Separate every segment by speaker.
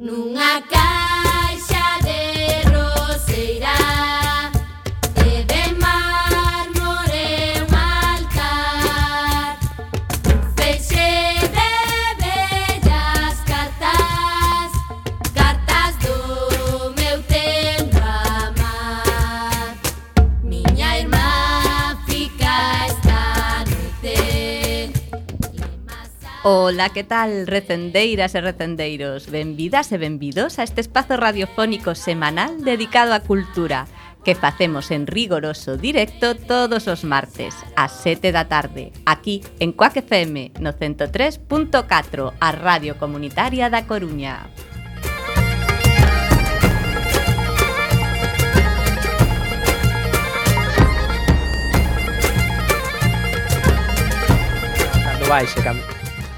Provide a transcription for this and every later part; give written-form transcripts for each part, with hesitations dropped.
Speaker 1: Nunha caixa de roseira e de mármore un altar, un feixe de bellas cartas, cartas do meu tempo amar. Miña irmá fica esta noite.
Speaker 2: Ola, que tal, recendeiras e recendeiros? Benvidas e benvidos a este espazo radiofónico semanal dedicado á cultura que facemos en rigoroso directo todos os martes ás 7 da tarde, aquí en Cuac FM no 103.4, a Radio Comunitaria da Coruña.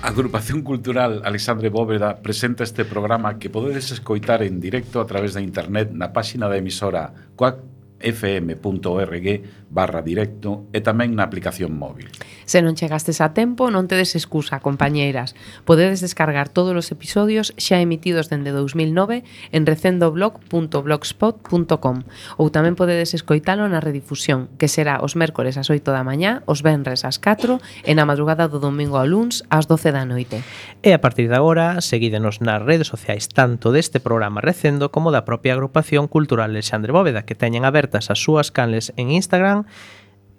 Speaker 3: A Agrupación Cultural Alexandre Bóveda presenta este programa que podedes escoitar en directo a través da internet na páxina da emisora cuacfm.org/directo e tamén na aplicación móvil.
Speaker 4: Se non chegastes a tempo, non tedes excusa, compañeiras. Podedes descargar todos os episodios xa emitidos dende 2009 en recendoblog.blogspot.com ou tamén podedes escoitalo na redifusión, que será os mércores ás 8 da mañá, os venres ás 4 e na madrugada do domingo ao luns ás 12 da noite.
Speaker 5: E a partir de agora, seguídenos nas redes sociais tanto deste programa Recendo como da propia Agrupación Cultural Alexandre Bóveda, que teñen abertas as súas canles en Instagram,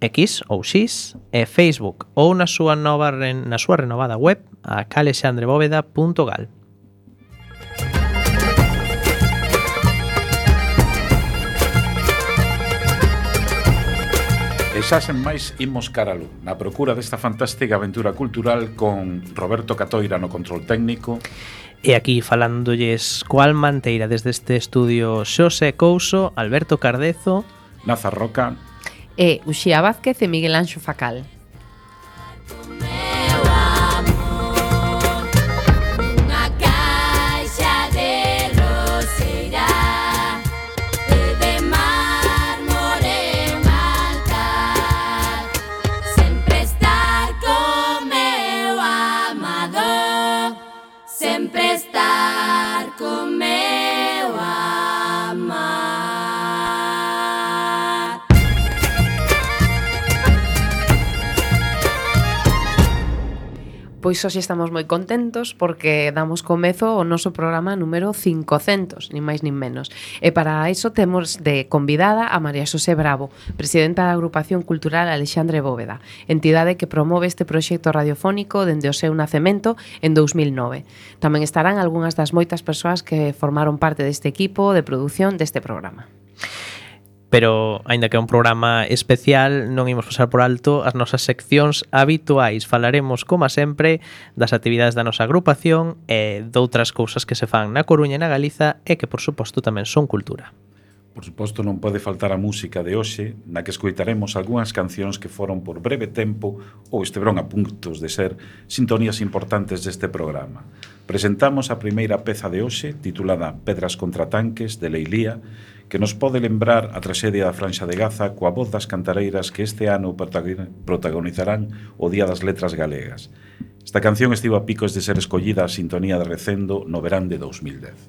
Speaker 5: X ou X e Facebook ou na súa renovada web a calexandrebóveda.gal.
Speaker 3: E xa sen máis imos caralo na procura desta fantástica aventura cultural con Roberto Catoira no control técnico.
Speaker 5: E aquí falándolles coa alma anteira desde este estudio Xosé Couso, Alberto Cardezo,
Speaker 3: Naza Roca
Speaker 4: E Uxía Vázquez e Miguel Anxo Facal. Pois hoxe estamos moi contentos porque damos comezo ao noso programa número 500, nin máis nin menos. E para iso temos de convidada a María Xosé Bravo, presidenta da Agrupación Cultural Alexandre Bóveda, entidade que promove este proxecto radiofónico dende o seu nacemento en 2009. Tamén estarán algunhas das moitas persoas que formaron parte deste equipo de produción deste programa.
Speaker 5: Pero, aínda que é un programa especial, non imos pasar por alto as nosas seccións habituais. Falaremos, como sempre, das actividades da nosa agrupación e doutras cousas que se fan na Coruña e na Galiza e que, por suposto, tamén son cultura.
Speaker 3: Por suposto, non pode faltar a música de hoxe, na que escoitaremos algunhas cancións que foron por breve tempo ou esteveron a puntos de ser sintonías importantes deste programa. Presentamos a primeira peza de hoxe, titulada Pedras contra tanques, de Leilía, que nos pode lembrar a traxedia da Franxa de Gaza coa voz das cantareiras que este ano protagonizarán o Día das Letras Galegas. Esta canción estivo a picos de ser escollida a sintonía de Recendo no verán de 2010.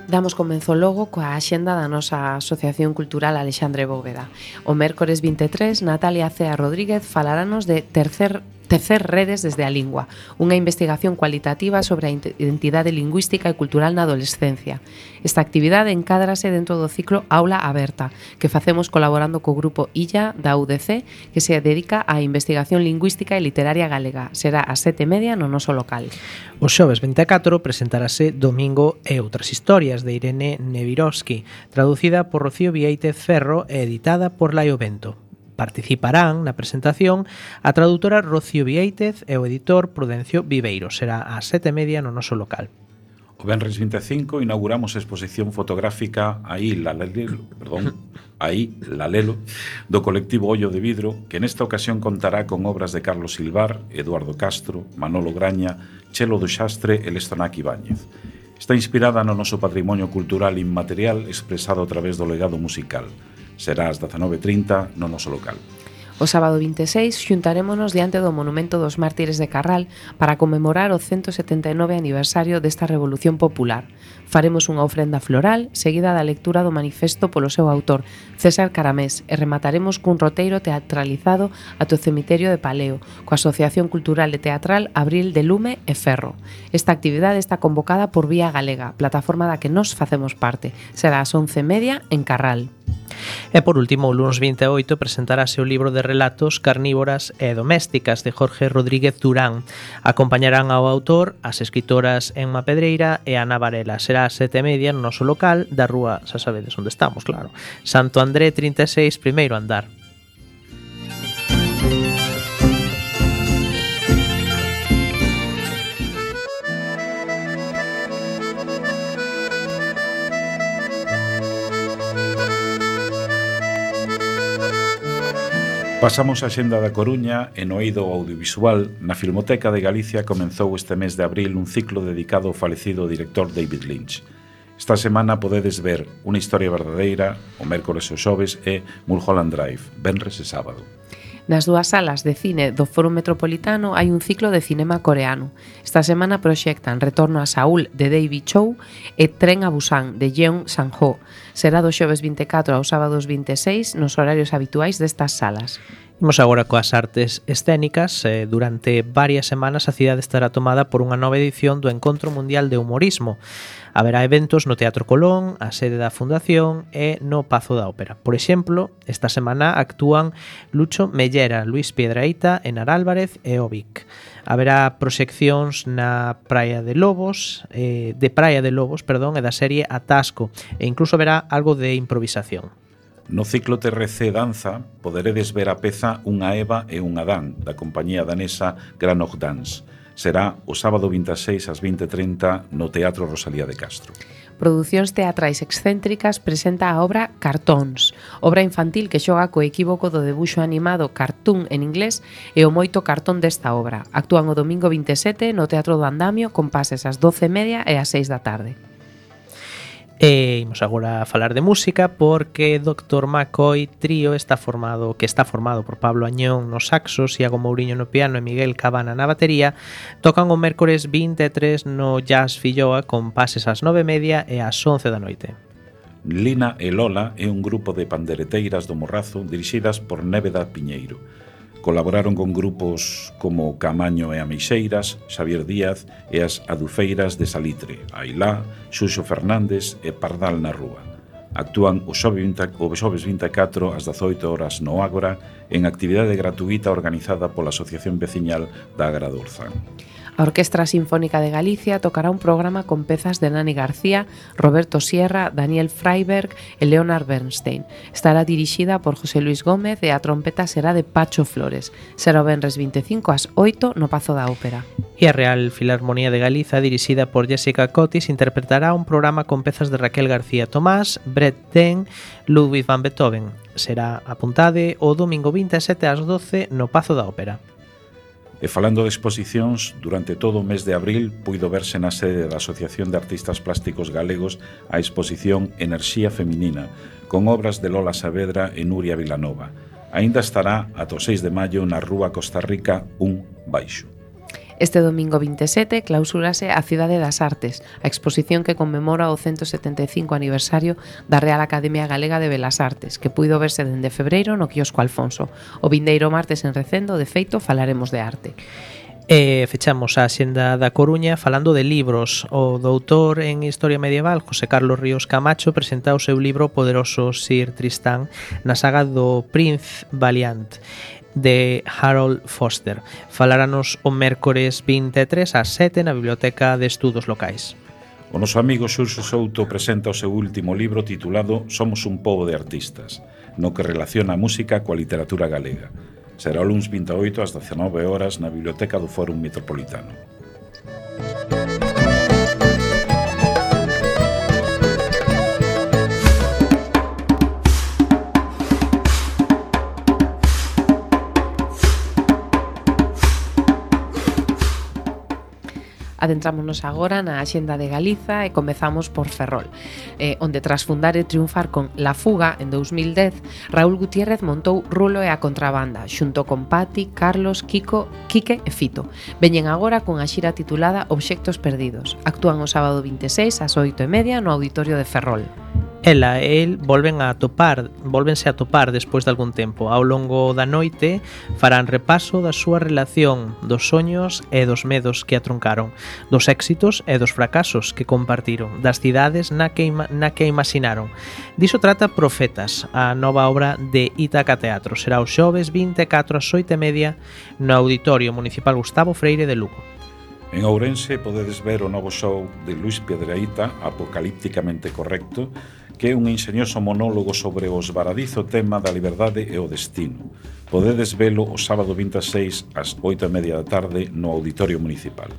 Speaker 4: Damos comenzo logo coa axenda da nosa Asociación Cultural Alexandre Bóveda. O mércores 23, Natalia Cea Rodríguez falarános de Tercer redes desde a lingua, unha investigación cualitativa sobre a identidade lingüística e cultural na adolescencia. Esta actividade encádrase dentro do ciclo Aula Aberta, que facemos colaborando co grupo Illa da UDC, que se dedica á investigación lingüística e literaria galega. Será ás 7:30 no noso local.
Speaker 5: O xoves 24 presentarase Domingo e outras historias de Irene Nevirovsky, traducida por Rocío Vieitez Ferro e editada por Laio Bento. Participarán na presentación a traductora Rocío Vieitez e o editor Prudencio Viveiro. Será ás 7:30 no noso local.
Speaker 3: O venres 25 inauguramos a exposición fotográfica Aí Lalelo, do colectivo Ollo de Vidro, que nesta ocasión contará con obras de Carlos Silvar, Eduardo Castro, Manolo Graña, Chelo do Xastre e Lestonac Ibáñez. Está inspirada no noso patrimonio cultural inmaterial expresado a través do legado musical. Será ás 19:30 no noso local.
Speaker 4: O sábado 26 xuntarémonos diante do Monumento dos Mártires de Carral para conmemorar o 179 aniversario desta Revolución Popular. Faremos unha ofrenda floral seguida da lectura do manifesto polo seu autor, César Caramés, e remataremos cun roteiro teatralizado ate o cemiterio de Paleo, coa Asociación Cultural e Teatral Abril de Lume e Ferro. Esta actividade está convocada por Vía Galega, plataforma da que nos facemos parte. Será ás 11:30 en Carral.
Speaker 5: E por último, o lunes 28 presentarase o libro de relatos Carnívoras e Domésticas de Jorge Rodríguez Durán. Acompañarán ao autor as escritoras Emma Pedreira e Ana Varela. Será ás 7:30 no noso local da rúa, xa sabedes onde estamos, claro, Santo André 36, primeiro andar.
Speaker 3: Pasamos a xenda da Coruña e no eido audiovisual. Na Filmoteca de Galicia comenzou este mes de abril un ciclo dedicado ao falecido director David Lynch. Esta semana podedes ver Unha historia verdadeira o mércores e o xoves e Mulholland Drive, venres e sábado.
Speaker 4: Nas dúas salas de cine do Foro Metropolitano hai un ciclo de cinema coreano. Esta semana proxectan Retorno a Saúl de David Chow e Tren a Busan de Jeong Sang-ho. Será do xoves 24 aos sábados 26 nos horarios habituais destas salas.
Speaker 5: Imos agora coas artes escénicas. Durante varias semanas a cidade estará tomada por unha nova edición do Encontro Mundial de Humorismo. Haberá eventos no Teatro Colón, a sede da Fundación e no Pazo da Ópera. Por exemplo, esta semana actúan Lucho Mellera, Luis Piedraíta, Enar Álvarez e Ovic. Haberá proxeccións na Praia de Lobos, e da serie Atasco, e incluso haberá algo de improvisación.
Speaker 3: No ciclo TRC Danza poderedes ver a peza Unha Eva e un Adán da compañía danesa Granog Dance. Será o sábado 26 ás 20:30 no Teatro Rosalía de Castro.
Speaker 4: Producións Teatrais Excéntricas presenta a obra Cartóns, obra infantil que xoga co equívoco do debuxo animado cartoon en inglés e o moito cartón desta obra. Actúan o domingo 27 no Teatro do Andamio con pases ás 12:30 e ás 6 da tarde.
Speaker 5: E imos agora a falar de música porque Dr. McCoy Trío está formado por Pablo Añón no saxos, Iago Mouriño no piano e Miguel Cabana na batería. Tocan o mércores 23 no Jazz Filloa con pases ás 9:30 e ás 11 da noite.
Speaker 3: Lina e Lola é un grupo de pandereteiras do Morrazo dirixidas por Néveda Piñeiro. Colaboraron con grupos como Camaño e Ameixeiras, Xavier Díaz e as Adufeiras de Salitre, Ailá, Xuxo Fernández e Pardal na Rúa. Actúan o xoves 24 ás 18 horas no Ágora en actividade gratuita organizada pola Asociación Veciñal da Agra do Orzán.
Speaker 4: A Orquestra Sinfónica de Galicia tocará un programa con pezas de Nani García, Roberto Sierra, Daniel Freiberg e Leonard Bernstein. Estará dirixida por José Luis Gómez e a trompeta será de Pacho Flores. Será o venres 25 ás 8 no Pazo da Ópera.
Speaker 5: E a Real Filarmonía de Galiza, dirixida por Jessica Cotis, interpretará un programa con pezas de Raquel García Tomás, Brett Ten, Ludwig van Beethoven. Será, apuntade, o domingo 27 ás 12 no Pazo da Ópera.
Speaker 3: E falando de exposicións, durante todo o mes de abril puido verse na sede da Asociación de Artistas Plásticos Galegos a exposición Enerxía Feminina, con obras de Lola Saavedra e Nuria Vilanova. Aínda estará ata o 6 de maio na Rúa Costa Rica 1 Baixo.
Speaker 4: Este domingo 27 clausúrase a Cidade das Artes, a exposición que conmemora o 175 aniversario da Real Academia Galega de Belas Artes, que puido verse dende febreiro no quiosco Alfonso. O vindeiro martes en Recendo, de feito, falaremos de arte.
Speaker 5: Fechamos a Xenda da Coruña falando de libros. O doutor en Historia Medieval, José Carlos Ríos Camacho, presenta o seu libro Poderoso Sir Tristán na saga do Prince Valiant de Harold Foster. Faláranos o mércores 23 ás 7 na Biblioteca de Estudos Locais.
Speaker 3: O noso amigo Xurxo Souto presenta o seu último libro titulado Somos un pobo de artistas, no que relaciona a música coa literatura galega. Será o luns 28 ás 19 horas na Biblioteca do Fórum Metropolitano.
Speaker 4: Adentrámonos agora na Axenda de Galiza e comezamos por Ferrol, onde tras fundar e triunfar con La Fuga en 2010, Raúl Gutiérrez montou Rulo e a Contrabanda, xunto con Pati, Carlos, Quique e Fito. Veñen agora cunha xira titulada Obxectos Perdidos. Actúan o sábado 26 ás 8:30 no Auditorio de Ferrol.
Speaker 5: Ela e el volvense a topar despois de algún tempo. Ao longo da noite farán repaso da súa relación, dos soños e dos medos que a truncaron, dos éxitos e dos fracasos que compartiron, das cidades na que imaginaron. Diso trata Profetas, a nova obra de Ítaca Teatro. Será o xoves 24 ás 8:30 no Auditorio Municipal Gustavo Freire de Lugo.
Speaker 3: En Ourense podedes ver o novo show de Luis Piedrahita, Apocalípticamente Correcto, que é un enxeñoso monólogo sobre o esvaradizo tema da liberdade e o destino. Podedes velo o sábado 26 ás 8:30 da tarde no Auditorio Municipal.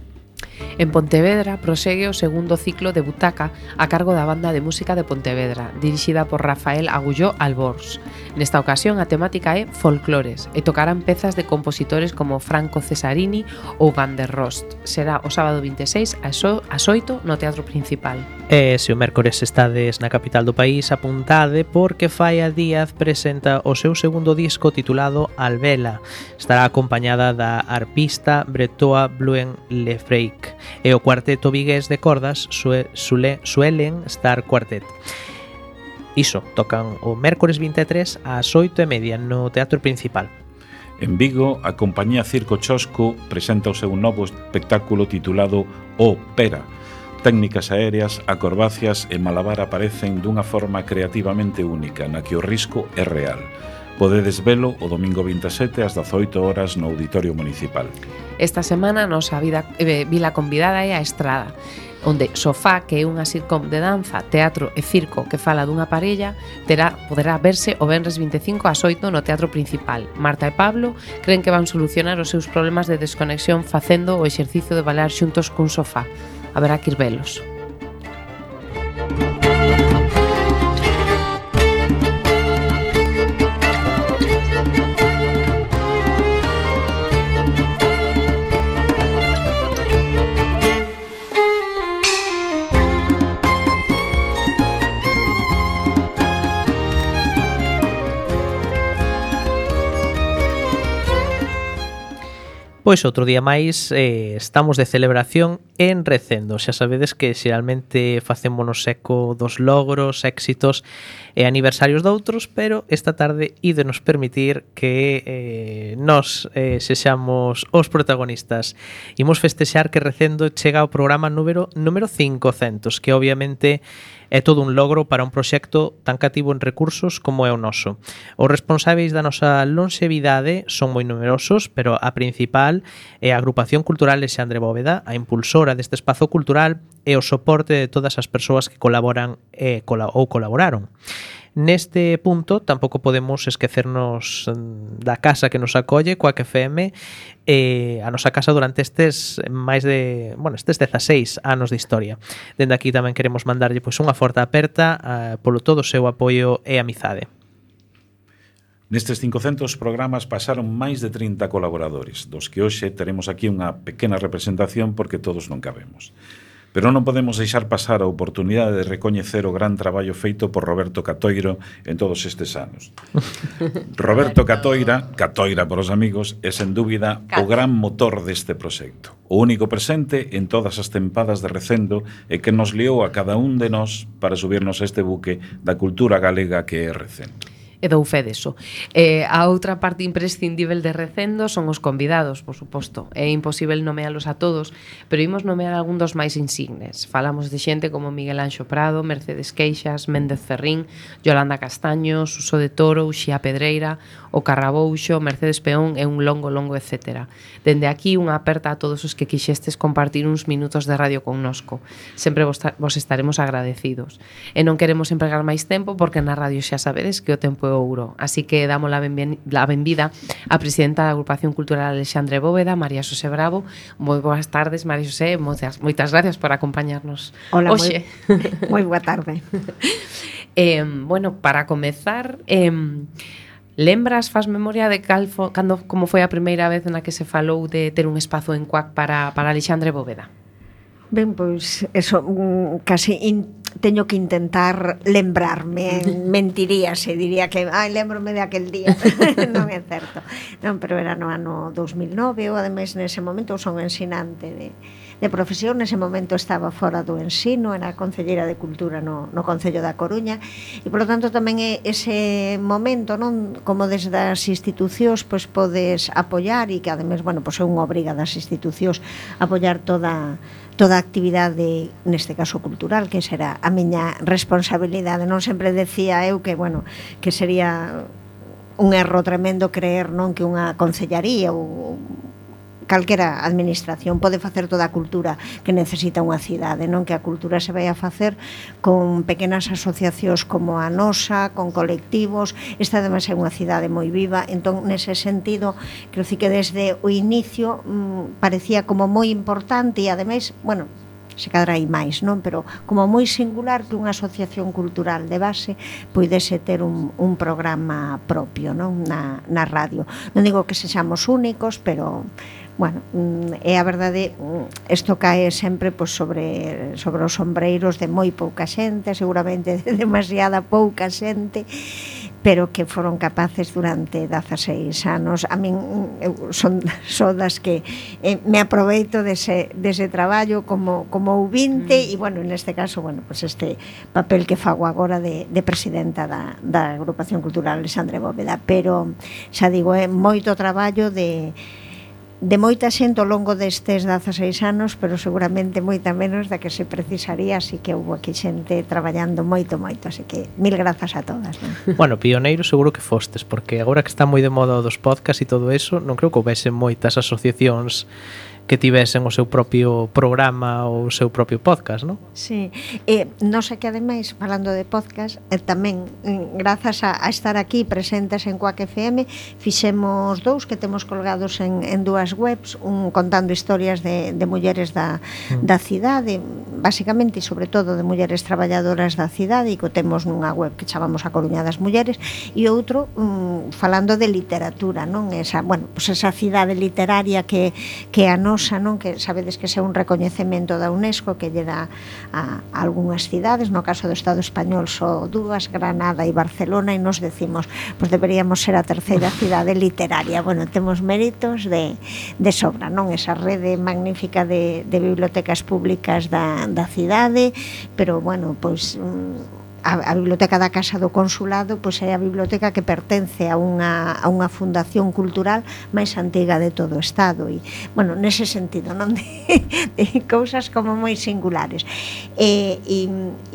Speaker 4: En Pontevedra prosegue o segundo ciclo de Butaca a cargo da Banda de Música de Pontevedra, dirixida por Rafael Agulló Albors. Nesta ocasión a temática é folclores e tocarán pezas de compositores como Franco Cesarini ou Van der Rost. Será o sábado 26 ás 8 no Teatro Principal.
Speaker 5: E se o mércores estades na capital do país, apuntade porque Faia Díaz presenta o seu segundo disco titulado Albela. Estará acompañada da arpista Bretoa Bluen Lefreik e o cuarteto vigués de cordas Suelen Star Quartet. Iso, tocan o mércores 23 ás 8:30 no Teatro Principal.
Speaker 3: En Vigo, a compañía Circo Chosco presenta o seu novo espectáculo titulado O Pera. Técnicas aéreas, acrobacias e malabar aparecen dunha forma creativamente única na que o risco é real. Podedes velo o domingo 27 ás 18 horas no Auditorio Municipal.
Speaker 4: Esta semana a nosa vila convidada é a Estrada, onde Sofá, que é unha sitcom de danza, teatro e circo que fala dunha parella, poderá verse o venres 25 ás 8 no Teatro Principal. Marta e Pablo creen que van solucionar os seus problemas de desconexión facendo o exercicio de bailar xuntos cun sofá. Haberá que ir velos.
Speaker 5: Pois outro día máis estamos de celebración en Recendo. Xa sabedes que xeralmente facémonos eco dos logros, éxitos e aniversarios doutros, pero esta tarde ídenos permitir que nos sexamos os protagonistas. Imos festexar que Recendo chega ao programa número 500, que obviamente é todo un logro para un proxecto tan cativo en recursos como é o noso. Os responsáveis da nosa longevidade son moi numerosos, pero a principal é a Agrupación Cultural Alexandre Bóveda, a impulsora deste espazo cultural e o soporte de todas as persoas que colaboran ou colaboraron. Neste punto tampouco podemos esquecernos da casa que nos acolle, Coac FM, a nosa casa durante estes 16 anos de historia. Dende aquí tamén queremos mandarlle unha forte aperta polo todo o seu apoio e amizade.
Speaker 3: Nestes 500 programas pasaron máis de 30 colaboradores, dos que hoxe teremos aquí unha pequena representación porque todos non cabemos. Pero non podemos deixar pasar a oportunidade de recoñecer o gran traballo feito por Roberto Catoiro en todos estes anos. Roberto Catoira por os amigos, é sen dúbida o gran motor deste proxecto. O único presente en todas as tempadas de Recendo e que nos liou a cada un de nós para subirnos a este buque da cultura galega que é Recendo.
Speaker 4: E dou fe deso. A outra parte imprescindível de Recendo son os convidados, por suposto. É imposible nomealos a todos, pero imos nomear algún dos máis insignes. Falamos de xente como Miguel Anxo Prado, Mercedes Queixas, Méndez Ferrín, Yolanda Castaño, Suso de Toro, Uxía Pedreira, o Carrabouxo, Mercedes Peón e un longo etcétera. Dende aquí, unha aperta a todos os que quixestes compartir uns minutos de radio connosco. Sempre vos estaremos agradecidos. E non queremos empregar máis tempo, porque na radio xa sabedes que o tempo é ouro. Así que damos la benvida a presidenta da Agrupación Cultural Alexandre Bóveda, María Xosé Bravo. Moi boas tardes, María Xosé, moitas gracias por acompañarnos.
Speaker 6: Hola,
Speaker 4: hoxe.
Speaker 6: Moi boa tarde.
Speaker 4: Bueno, para comezar, lembras, faz memoria de como foi a primeira vez na que se falou de ter un espazo en CUAC para Alexandre Bóveda?
Speaker 6: Ben, pois, eso, casi teño que intentar lembrarme, mentiríase, diría que, lembrome de aquel día, non é certo. Non, pero era no ano 2009, ou ademais nese momento son ensinante de profesión, nese momento estaba fora do ensino, era concelleira de Cultura no Concello da Coruña, e polo tanto tamén é ese momento, non, como desde as institucións pois podes apoiar, e que ademais, bueno, pois é unha obriga das institucións apoiar toda a actividade, neste caso cultural, que será a miña responsabilidade. Non sempre decía eu que, bueno, que sería un erro tremendo creer, non, que unha concellaría ou calquera administración pode facer toda a cultura que necesita unha cidade, non, que a cultura se vai a facer con pequenas asociacións como a nosa, con colectivos. Esta ademais é unha cidade moi viva, entón nese sentido creo que desde o inicio parecía como moi importante, e ademais, bueno, se cadra hai máis, non? Pero como moi singular que unha asociación cultural de base poidese ter un programa propio, non? Na radio. Non digo que sexamos únicos, pero bueno, é a verdade, isto cae sempre pois, sobre os sombreiros de moi pouca xente, seguramente de demasiada pouca xente, pero que foron capaces durante 16 anos. A min son das que me aproveito dese traballo como ouvinte, e bueno, neste caso, bueno, pues este papel que fago agora de presidenta da Agrupación Cultural Alexandre Bóveda, pero xa digo, é moito traballo de moita xente ao longo destes 16 anos, pero seguramente moita menos da que se precisaría, así que houve aquí xente traballando moito, así que mil grazas a todas, non?
Speaker 5: Bueno, pioneiro seguro que fostes, porque agora que está moi de moda dos podcast e todo eso, non creo que houvese moitas asociacións que tivesen o seu propio programa ou o seu propio podcast, non?
Speaker 6: Sí, non sei que ademais, falando de podcast, tamén grazas a estar aquí presentes en CUAC FM, fixemos dous que temos colgados en dúas webs, un contando historias de mulleres da cidade, basicamente e sobre todo de mulleres traballadoras da cidade, e que temos nunha web que chamamos A Coruña das Mulleres, e outro falando de literatura, non? Esa, bueno, pues esa cidade literaria que a nosa, non, que sabedes que é un recoñecemento da UNESCO que lle dá a algunhas cidades, no caso do Estado español só dúas, Granada e Barcelona, e nos decimos, pois deberíamos ser a terceira cidade literaria. Bueno, temos méritos de sobra, non? Esa rede magnífica de bibliotecas públicas da cidade, pero bueno, pois a biblioteca da Casa do Consulado pois é a biblioteca que pertence a unha fundación cultural máis antiga de todo o Estado, e, bueno, nese sentido, non, de cousas como moi singulares, e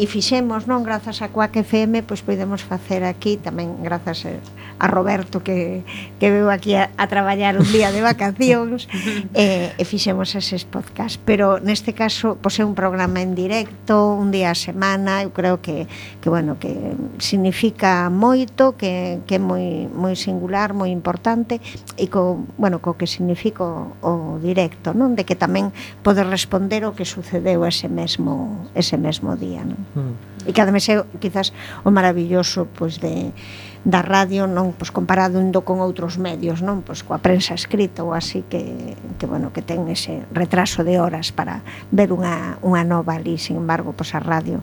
Speaker 6: fixemos, non, grazas a CUAC FM, pois podemos facer aquí, tamén grazas a Roberto que veu aquí a traballar un día de vacacións, e fixemos eses podcast, pero neste caso pois é un programa en directo, un día a semana. Eu creo que bueno, que significa moito, que é moi singular, moi importante, e co que significa o directo, non? De que tamén pode responder o que sucedeu ese mesmo día, non? E que ademais é quizás o maravilloso pois da radio, non, pois comparado con outros medios, non, pois coa prensa escrita ou así, que bueno, que ten ese retraso de horas para ver unha nova ali. Sin embargo, pois a radio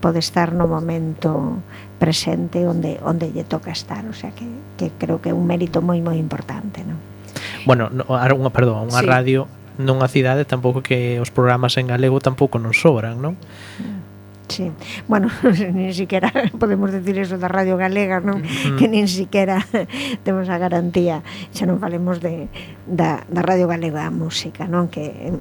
Speaker 6: pode estar no momento presente onde lle toca estar, o sea que creo que é un mérito moi importante, non?
Speaker 5: Bueno, unha radio nunha cidade tampouco, que os programas en galego tampouco nos sobran, non?
Speaker 6: Sí, bueno, nin siquiera podemos decir eso da Radio Galega, non? Que nin siquiera temos a garantía, xa non falemos da Radio Galega a música, non? Que,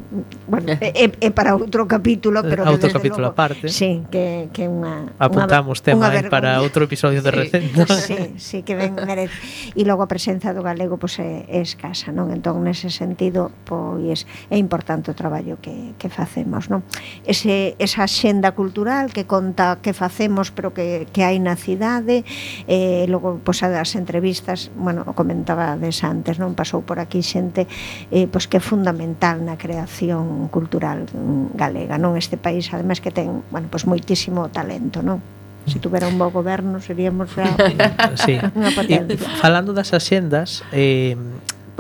Speaker 6: bueno, é para outro capítulo, pero
Speaker 5: outro capítulo aparte.
Speaker 6: Sí, que unha
Speaker 5: apuntamos tema para outro episodio de Recendo.
Speaker 6: Sí, que ben merece. E logo a presenza do galego pois é escasa, non? Entón, nese sentido, pois é importante o traballo que facemos, non? Esa xenda cultural que conta que facemos, pero que hai na cidade, logo pois as entrevistas, bueno, o comentaba antes, non? Pasou por aquí xente pois que é fundamental na creación cultural galega, non? Este país, ademais, que ten, bueno, pois moitísimo talento, non? Se tuvera un bo goberno seríamos xa
Speaker 5: sí. Unha potencia. Falando das axendas,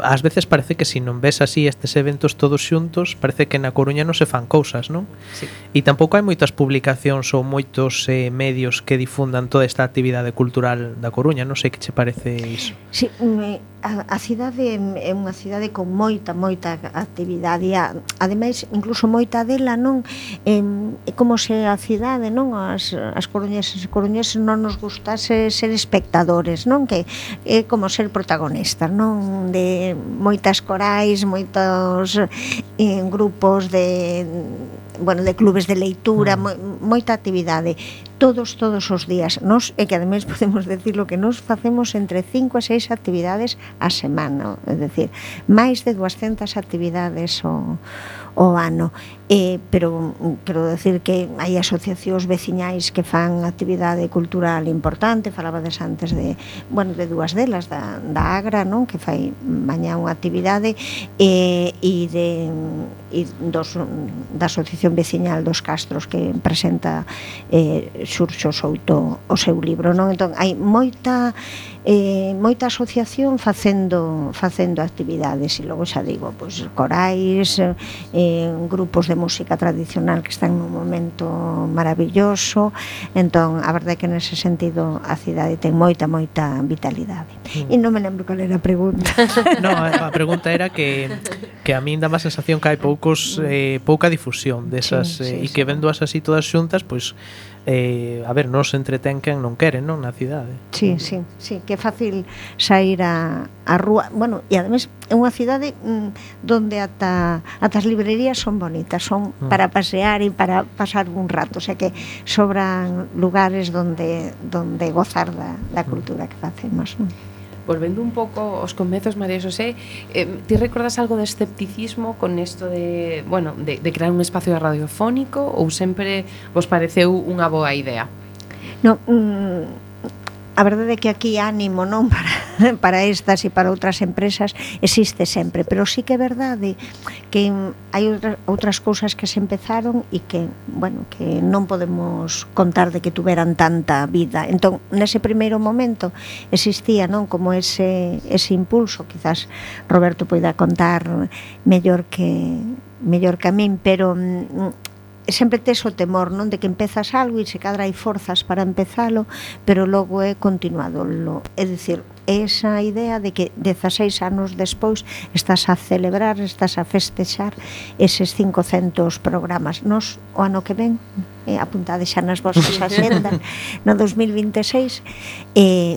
Speaker 5: ás veces parece que se non ves así estes eventos todos xuntos, parece que na Coruña non se fan cousas, non?
Speaker 4: Sí.
Speaker 5: E tampouco hai moitas publicacións ou moitos medios que difundan toda esta actividade cultural da Coruña, non sei que che parece iso.
Speaker 6: Sí, a cidade é unha cidade con moita actividade, e ademais incluso moita dela, non? É como se a cidade, non? As coruñeses e coruñeses non nos gustase ser espectadores, non? Que é como ser protagonistas, non? De moitas corais, moitos grupos de clubes de leitura, moita actividade todos os días. Nos, e que ademais podemos decirlo, que nos facemos entre 5 e 6 actividades a semana, é dicir, máis de 200 actividades o ano. Pero quero decir que hai asociacións veciñais que fan actividade cultural importante. Falabades antes de dúas delas, da Agra, non? Que fai mañá unha actividade, da Asociación Veciñal dos Castros, que presenta Xurxo Souto o seu libro, non? Entón, hai moita asociación facendo actividades, e logo xa digo, pois corais, grupos de música tradicional que están nun momento maravilloso. Entón, a verdade é que nese sentido a cidade ten moita vitalidade. E non me lembro cal era a pregunta.
Speaker 5: No, a pregunta era que a min dá má sensación que hai pouca difusión desas, e que vendoas así todas xuntas, pois a ver, non se entretén quen non quere, non, na cidade.
Speaker 6: Sí, que é fácil sair a rúa. Bueno, e ademais é unha cidade donde ata as librerías son bonitas, son para pasear e para pasar un rato, o sea que sobran lugares donde gozar da cultura que facemos, non?
Speaker 4: Volvendo un pouco aos comezos, María Xosé, ti recordas algo de escepticismo con isto de crear un espacio radiofónico, ou sempre vos pareceu unha boa idea?
Speaker 6: Non, a verdade é que aquí ánimo, non, para estas e para outras empresas existe sempre, pero sí que é verdade que hai outras cousas que se empezaron e que, que non podemos contar de que tuveran tanta vida. Entón, nese primeiro momento existía, non, como ese impulso, quizás Roberto poida contar mellor que a min, pero sempre tes o temor, non, de que empezas algo e se cadra hai forzas para empezalo, pero logo é continuado. É dicir, esa idea de que 16 anos despois estás a celebrar, estás a festexar eses 500 programas. Nos, o ano que ven, apuntade xa nas vosas axendas, no 2026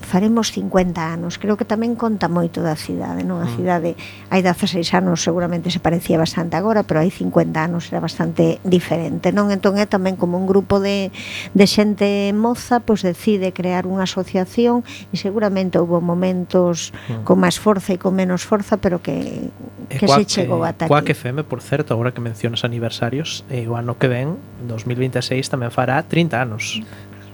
Speaker 6: faremos 50 anos. Creo que tamén conta moito da cidade, non? A cidade hai 16 anos seguramente se parecía bastante agora, pero hai 50 anos era bastante diferente, non? Entón é tamén como un grupo de xente moza, pois decide crear unha asociación, e seguramente houve momentos con máis forza e con menos forza, pero que se chegou ata aquí.
Speaker 5: Coac FM, por certo, agora que mencionas aniversarios, o ano que ven, 2026, tamén fará 30 anos.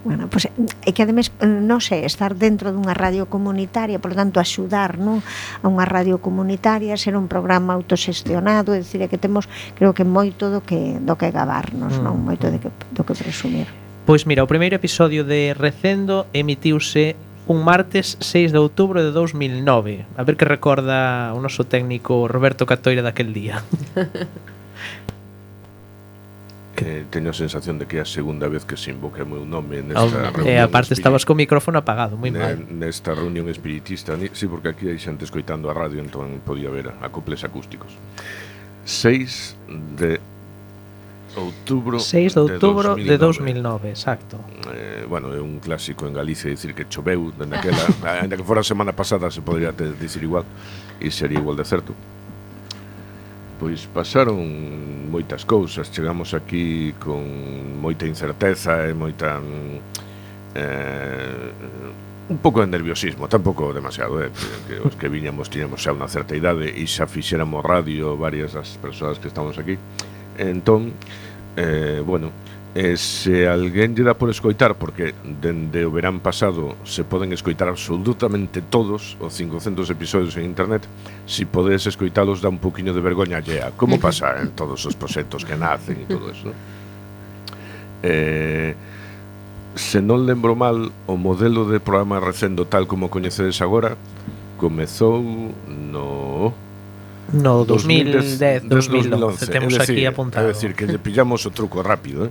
Speaker 6: Bueno, pois é que ademais, non sei, estar dentro dunha radio comunitaria, por lo tanto, axudar, non, a unha radio comunitaria, ser un programa autoxestionado, é dicir, que temos, creo que moito do que gabarnos, non, moito do que presumir.
Speaker 5: Pois mira, o primeiro episodio de Recendo emitiuse un martes 6 de outubro de 2009. A ver que recorda o noso técnico Roberto Catoira daquel día.
Speaker 7: Teño a sensación de que é a segunda vez que se invoca o meu nome nesta reunión.
Speaker 5: E aparte estabas co micrófono apagado, moi mal.
Speaker 7: Nesta reunión espiritista, sí, porque aquí hai xente escoitando a radio, entón podía ver acoples acústicos. 6 de outubro
Speaker 5: 6 de outubro de 2009, exacto.
Speaker 7: Bueno, é un clásico en Galicia dicir que choveu dende aquela, ainda que fora a semana pasada se podría dicir igual e sería igual de certo. Pois pasaron moitas cousas, chegamos aquí con moita incerteza e moita un pouco de nerviosismo, tampouco demasiado, que os que viñamos tiñamos xa unha certa idade e xa fixéramos radio varias das persoas que estamos aquí. Entón, bueno, se alguén lle dá por escoitar, porque dende o verán pasado se poden escoitar absolutamente todos os 500 episodios en internet, si podes escoitalos dá un poquinho de vergoña allea, como pasa en todos os proxectos que nacen e todo eso, ¿no? Se non lembro mal, o modelo de programa Recendo tal como coñecedes agora comezou no
Speaker 5: 2010, 2011, temos aquí apuntado.
Speaker 7: É dicir, que lle pillamos o truco rápido,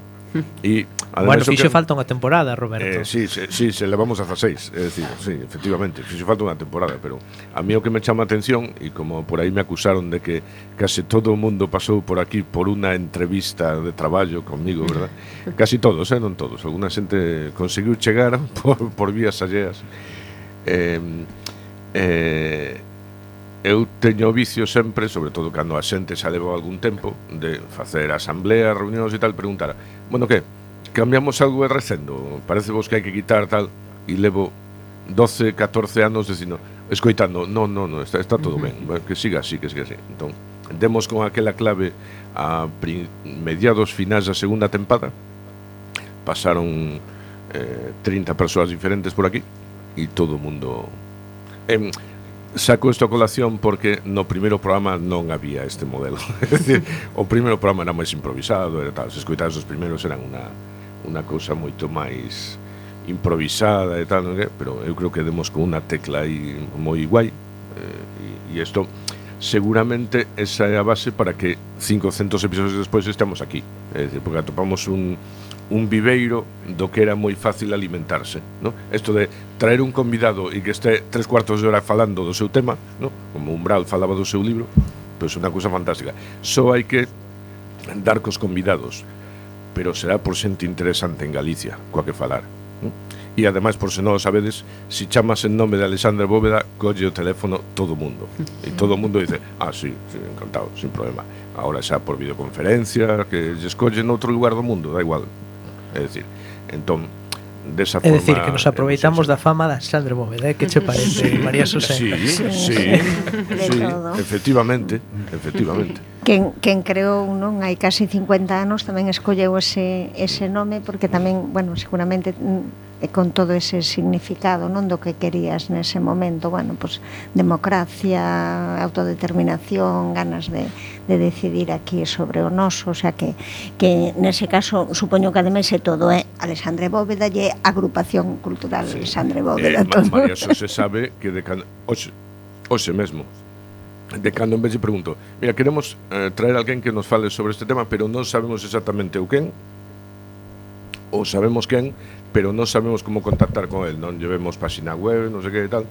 Speaker 7: E,
Speaker 5: bueno, fixo falta unha temporada, Roberto.
Speaker 7: Sí, se levamos a 6. É dicir, sí, efectivamente, fixo falta unha temporada. Pero a mí o que me chama a atención, e como por aí me acusaron de que case todo o mundo pasou por aquí por unha entrevista de traballo conmigo, verdad? Casi todos, non todos. Alguna xente conseguiu chegar por vías alleas. Eu teño vicio sempre, sobre todo cando a xente xa leva algún tempo, de facer asambleas, reunións e tal, preguntar, bueno, que? Cambiamos algo de Recendo? Parece vos que hai que quitar tal? E levo 12, 14 anos dicindo, escoitando, no, está todo ben, que siga así, Entón, demos con aquela clave a mediados finais da segunda tempada, pasaron 30 persoas diferentes por aquí, e todo o mundo... Saco isto a colación porque no primeiro programa non había este modelo. É dicir, o primeiro programa era máis improvisado, era tal, se escoitados os primeiros eran unha cousa moito máis improvisada e tal, non é? Pero eu creo que demos con unha tecla aí moi guai, e isto seguramente esa é a base para que 500 episodios despois estamos aquí. É dicir, porque atopamos un viveiro do que era moi fácil alimentarse, ¿no? Esto de traer un convidado e que este 3/4 de hora falando do seu tema, ¿no? Como Umbral falaba do seu libro, pois unha cousa fantástica. Só hai que dar cos convidados, pero será por xente interesante en Galicia, coa que falar, ¿no? E ademais, por se non o sabedes, si chamas en nome de Alexandre Bóveda, colle o teléfono todo o mundo. E todo o mundo dice, sí, encantado, sin problema. Ahora xa por videoconferencia, que lle escollen noutro lugar do mundo, da igual. É dicir, entón, desa forma...
Speaker 5: É dicir, que nos aproveitamos da fama de Alexandre Bóveda, que che parece, María Xosé?
Speaker 7: Sí, efectivamente.
Speaker 6: Quen creou, non, hai casi 50 anos tamén escolleu ese nome porque tamén, bueno, seguramente con todo ese significado, non, do que querías nese momento, bueno, pues democracia, autodeterminación, ganas de decidir aquí sobre o noso, o sea que nese caso supoño que ademais é todo, Alexandre Bóveda e Agrupación Cultural Alexandre Bóveda.
Speaker 7: María Xosé sabe que de hoxe mesmo, de cando en vez de pregunto, mira, queremos traer alguén que nos fale sobre este tema, pero non sabemos exactamente o quen, ou sabemos quen, pero non sabemos como contactar con el, non llevemos página web, non sei que e tal.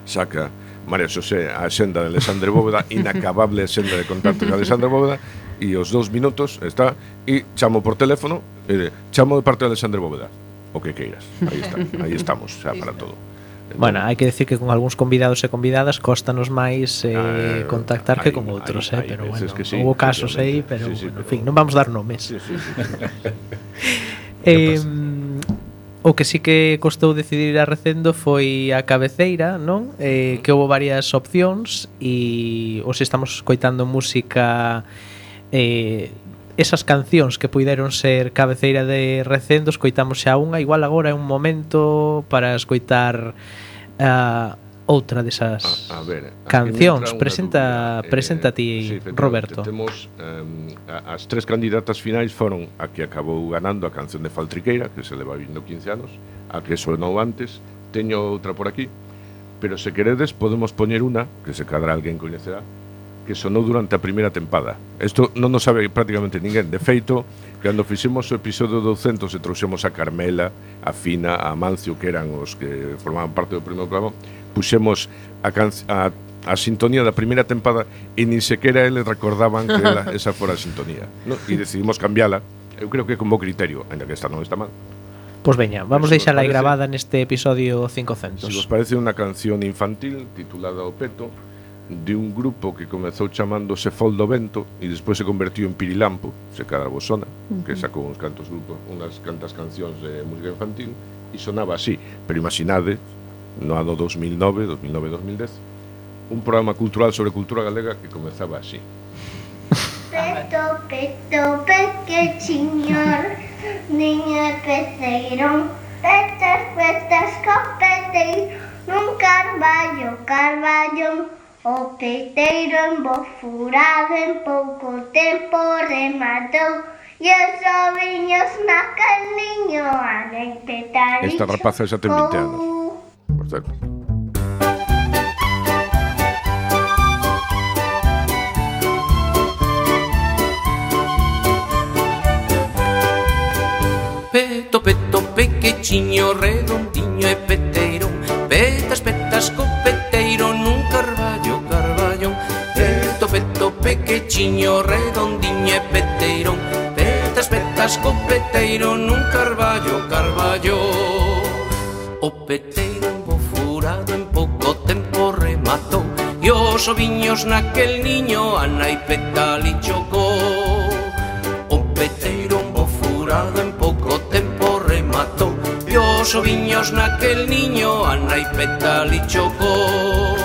Speaker 7: Saca María Xosé a xenda de Alexandre Bóveda, inacabable xenda de contacto de Alexandre Bóveda, e os 2 minutos está, e chamo por teléfono, e chamo de parte de Alexandre Bóveda, o que queiras, aí estamos, xa para todo. Entón,
Speaker 5: bueno, hai que decir que con algúns convidados e convidadas costanos máis contactar que con outros, pero bueno,
Speaker 7: sí,
Speaker 5: houve casos aí, pero
Speaker 7: sí,
Speaker 5: bueno, en fin, non vamos dar nomes.
Speaker 7: Sí.
Speaker 5: O que sí que costou decidir ir a Recendo foi a cabeceira, non? Que houve varias opcións e hoxe estamos escoitando música, esas cancións que puideron ser cabeceira de Recendo, escoitamos xa unha, igual agora é un momento para escoitar outra desas cancións. Presenta ti, Roberto.
Speaker 7: Temos as 3 candidatas finais foron a que acabou ganando a canción de Faltriqueira, que se leva vindo 15 anos, a que sonou antes, teño outra por aquí, pero se queredes podemos poñer unha, que se cadra alguén coñecerá, que sonou durante a primeira tempada. Isto non nos sabe prácticamente ninguén. De feito, cando fixemos o episodio 200 e trouxemos a Carmela, a Fina, a Amancio, que eran os que formaban parte do primeiro programa, puxemos a sintonía da primeira tempada e nin sequera eles recordaban que esa fora a sintonía, ¿no? E decidimos cambiala. Eu creo que con bo criterio, ainda que esta non está mal.
Speaker 5: Pois veña, vamos deixala aí grabada neste episodio 500.
Speaker 7: Se vos parece unha canción infantil titulada O Peto, de un grupo que comezou chamándose Fol do Vento e despois se convertiu en Pirilampo, se cada vos sona, que sacou uns cantos grupos, unhas cantas cancións de música infantil e sonaba así, pero imaginade no ano 2009-2010 un programa cultural sobre cultura galega que comezaba así.
Speaker 8: Peto, peto, pequechiño, niño peceiro, petas, petas, copeteiro, nun carballo, carballo. O peteiro embofurado en pouco tempo rematou e os oviños naquel niño anei petaricho.
Speaker 7: Esta rapaza xa ten 20 anos, por certo.
Speaker 9: Peto, peto, pequechiño, redondiño e peteiro, petas, petas, copeteiro nun carballo, carballo. Peto, peto, pequechiño, redondiño e peteiro, petas, petas, copeteiro nun carballo, carballo. O peteiro embofurado en pouco tempo rematou e os oviños naquel niño a nai petali chocou. O peteiro embofurado en pouco tempo rematou e os oviños naquel niño a nai petali chocou.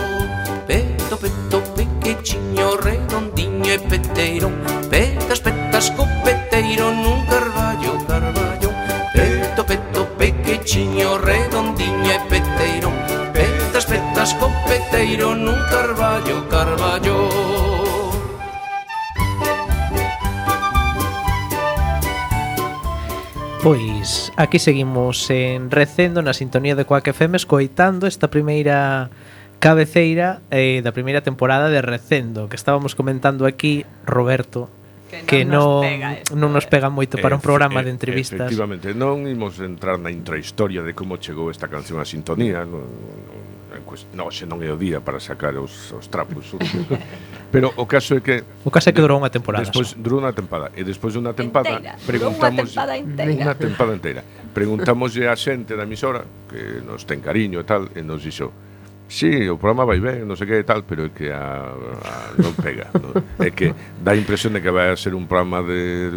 Speaker 9: Peto, peto, pequechiño, redondiño e peteiro, petas, petas, copeteiro nun carballo, carballo. Peto, peto, pequechiño, redondiño e peteiro, petas, petas, copeteiro nun carballo, carballo.
Speaker 5: Pois aquí seguimos en Recendo na sintonía de Quack FM escoitando esta primeira cabeceira da primeira temporada de Recendo, que estábamos comentando aquí, Roberto, que non nos pega moito para un programa de entrevistas.
Speaker 7: Efectivamente, non imos entrar na intrahistoria de como chegou esta canción a sintonía, xe non é o día para sacar os trapos. Pero o caso é que
Speaker 5: durou unha temporada.
Speaker 7: Despois durou unha temporada e despois de unha temporada preguntamos unha temporada inteira. Preguntámoslle á xente da emisora que nos ten cariño e tal, e nos dixo: "Sí, o programa vai ben, non sei que e tal, pero é que non pega, non? É que dá a impresión de que vai a ser un programa de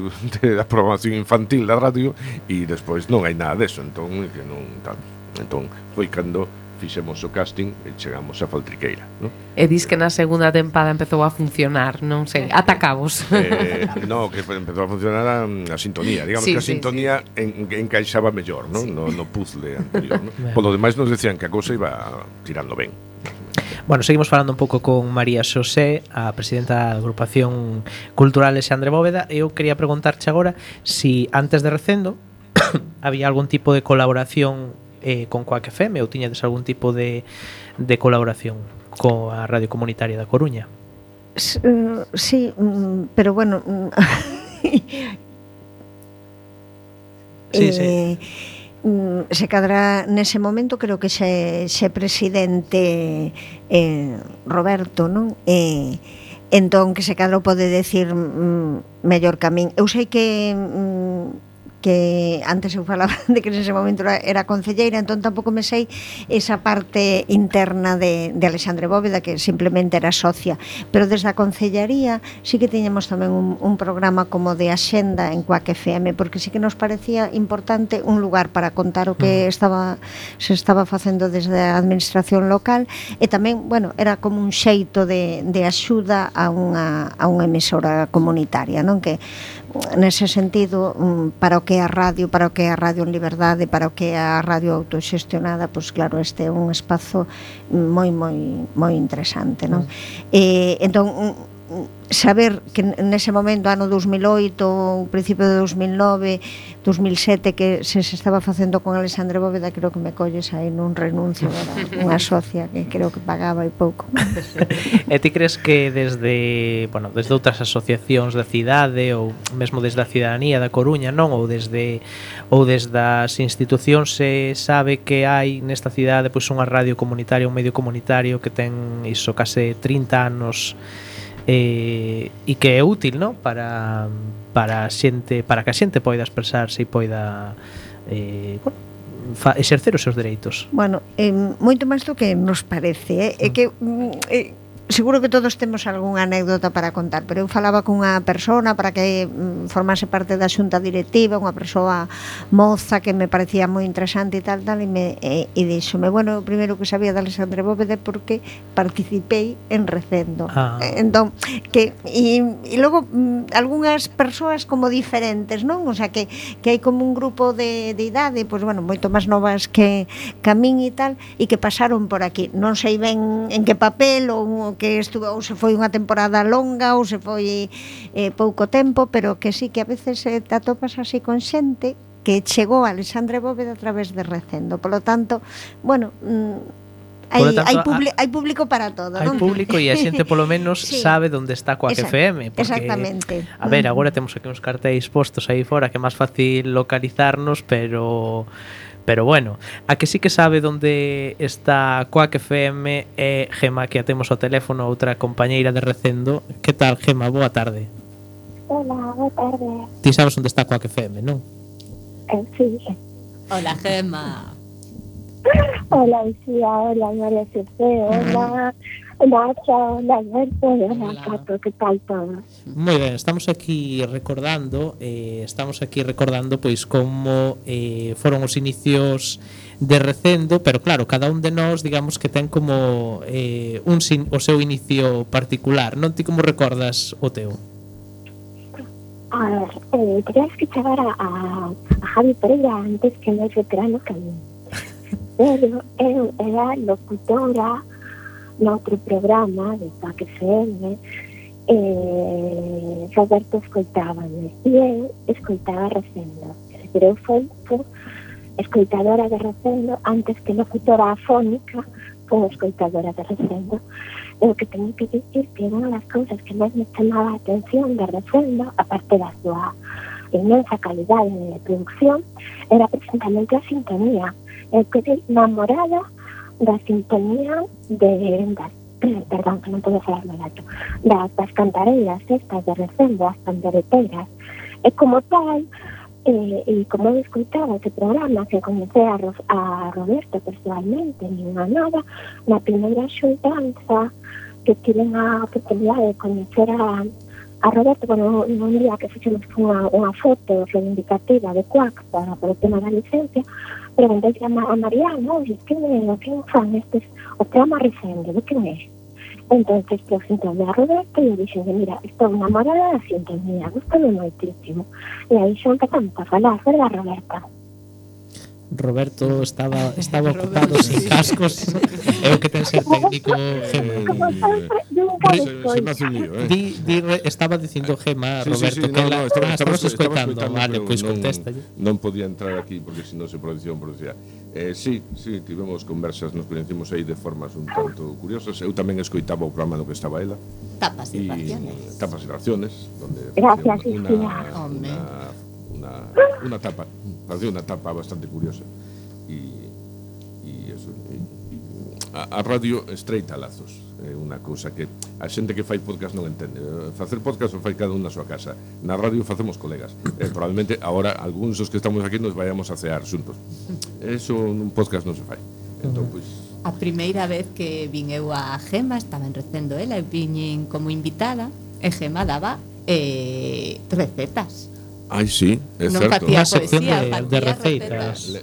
Speaker 7: programación infantil da radio e despois non hai nada deso, entón que non tal." Entón foi cando fixemos o casting e chegamos a Faltriqueira, non?
Speaker 4: E dis que na segunda tempada empezou a funcionar, non sei, ata cabos.
Speaker 7: No, que empezou a funcionar a sintonía, digamos que a sintonía encaixaba mellor, non? No puzzle anterior, non? Polo demais nos decían que a cousa iba tirando ben.
Speaker 5: Bueno, seguimos falando un pouco con María Xosé, a presidenta da agrupación cultural Alexandre Bóveda, e eu quería preguntarche agora si antes de Recendo había algún tipo de colaboración con Quack FM ou tiñades algún tipo de colaboración coa Radio Comunitaria da Coruña?
Speaker 6: Sí, pero bueno,
Speaker 5: sí.
Speaker 6: Se cadra nese momento creo que xe presidente Roberto, non? Entón que se cadra pode decir mellor que a min. Eu sei que antes eu falaba de que nese momento era concelleira, entón tampouco me sei esa parte interna de Alexandre Bóveda, que simplemente era socia, pero desde a concellaría sí que tiñamos tamén un programa como de axenda en Quack FM, porque sí que nos parecía importante un lugar para contar o que se estaba facendo desde a administración local, e tamén, bueno, era como un xeito de axuda a unha emisora comunitaria, non? Que nese sentido, para o que é a radio en liberdade, para o que é a radio autoxestionada, pois claro, este é un espazo moi interesante, non? Entón, saber que nese momento, ano 2008, principio de 2009, 2007, que se estaba facendo con Alexandre Bóveda, creo que me colles aí nun renuncio, era unha socia que creo que pagaba e pouco.
Speaker 5: E ti crees que desde outras asociacións da cidade ou mesmo desde a cidadanía da Coruña, non, ou desde as institucións se sabe que hai nesta cidade pois unha radio comunitaria, un medio comunitario que ten iso case 30 anos e que é útil, non? Para a xente, para que a xente poida expresarse e poida exercer os seus dereitos.
Speaker 6: Bueno, moito máis do que nos parece, é que seguro que todos temos algunha anécdota para contar, pero eu falaba cunha persona para que formase parte da xunta directiva, unha persoa moza que me parecía moi interesante e tal, e díxome, bueno, o primeiro que sabía de Alexandre Bóveda porque participei en Recendo. Entón, e logo algunhas persoas como diferentes, non? O sea, que hai como un grupo de idade, pois bueno, moito máis novas que a min e tal, e que pasaron por aquí. Non sei ben en que papel ou que estuvo, ou se foi unha temporada longa ou se foi pouco tempo, pero que sí que a veces te atopas así con xente que chegou a Alexandre Bóveda a través de Recendo. Por lo tanto, bueno, hai público para todo,
Speaker 5: hai
Speaker 6: non?
Speaker 5: Público e a xente polo menos sí, sabe onde está Coac FM, porque
Speaker 6: exactamente.
Speaker 5: A ver, agora temos aquí uns cartéis postos aí fora que é máis fácil localizarnos, pero bueno, a que sí que sabe onde está Coac FM é Gema, que a temos ao teléfono, outra compañeira de Recendo. Que tal, Gema? Boa tarde.
Speaker 10: Hola, boa tarde.
Speaker 5: Ti sabes onde está Coac FM, non?
Speaker 10: Sí.
Speaker 1: Hola, Gema.
Speaker 10: Hola, Lucía, hola, María José, hola, Nacha, hola, Alberto, hola, Cato, que tal todo?
Speaker 5: Moi ben, estamos aquí recordando pois como foron os inicios de Recendo, pero claro, cada un de nós, digamos que ten como o seu inicio particular, non? Ti como recordas o teu?
Speaker 10: A ver, tenías que chegar a Javi Pereira antes que máis veterano que a mí. Pero eu era locutora noutro programa de Coac FM, Roberto escoitábame e eu escoitaba Recendo. Pero eu fui escoitadora de Recendo antes que locutora afónica, fui escoitadora de Recendo. E o que teño que dicir que unha das cousas que máis me chamaba a atención de Recendo, aparte da súa inmensa calidade de producción, era precisamente a sintonía. Eu quedei namorada da sintonía perdón, que non podo falar moi alto, das cantareiras estas de Recendo, as pandereteiras, e como tal, e como eu escoitaba ese programa, que conhecei a Roberto personalmente, nin a nada, na primeira xuntanza que tiven a oportunidade de coñecer a Roberto, bueno, un día que fixemos unha foto reivindicativa de Coac para o tema da licencia, preguntei a Mariano, quen fan estes, o programa Recendo, de quen é? Entonces presentou a Roberto e eu dixen, mira, estou enamorada da sintonía, gustame moitísimo. E aí xa empezamos a falar, verdad, Roberta?
Speaker 5: Roberto estaba ocupado sin cascos. É o que ten ser técnico, Gema.
Speaker 7: Se me hace un lío,
Speaker 5: estaba dicindo Gema,
Speaker 7: sí,
Speaker 5: Roberto, que estamos escoitando. Vale, pois contesta.
Speaker 7: Non podía entrar aquí porque senón se producía. Sí, tivemos conversas, nos conhecimos aí de formas un tanto curiosas. Eu tamén escoitaba o programa no que estaba ela.
Speaker 1: Tapas y
Speaker 7: raciones, donde
Speaker 10: gracias,
Speaker 7: una tapa, parecía una tapa bastante curiosa e eso, a radio estreita lazos, é unha cousa que a xente que fai podcast non entende. Facer podcast o fai cada un na súa casa, na radio facemos colegas, probablemente agora algúns dos que estamos aquí nos vayamos a cear xuntos, eso nun podcast non se fai. Entón, pois,
Speaker 1: a primeira vez que vin eu a Gema estaba en Recendo ela e viñen como invitada e Gema daba recetas.
Speaker 7: Ai, sí, é
Speaker 1: non
Speaker 7: certo.
Speaker 1: Facía poesía,
Speaker 5: de receitas.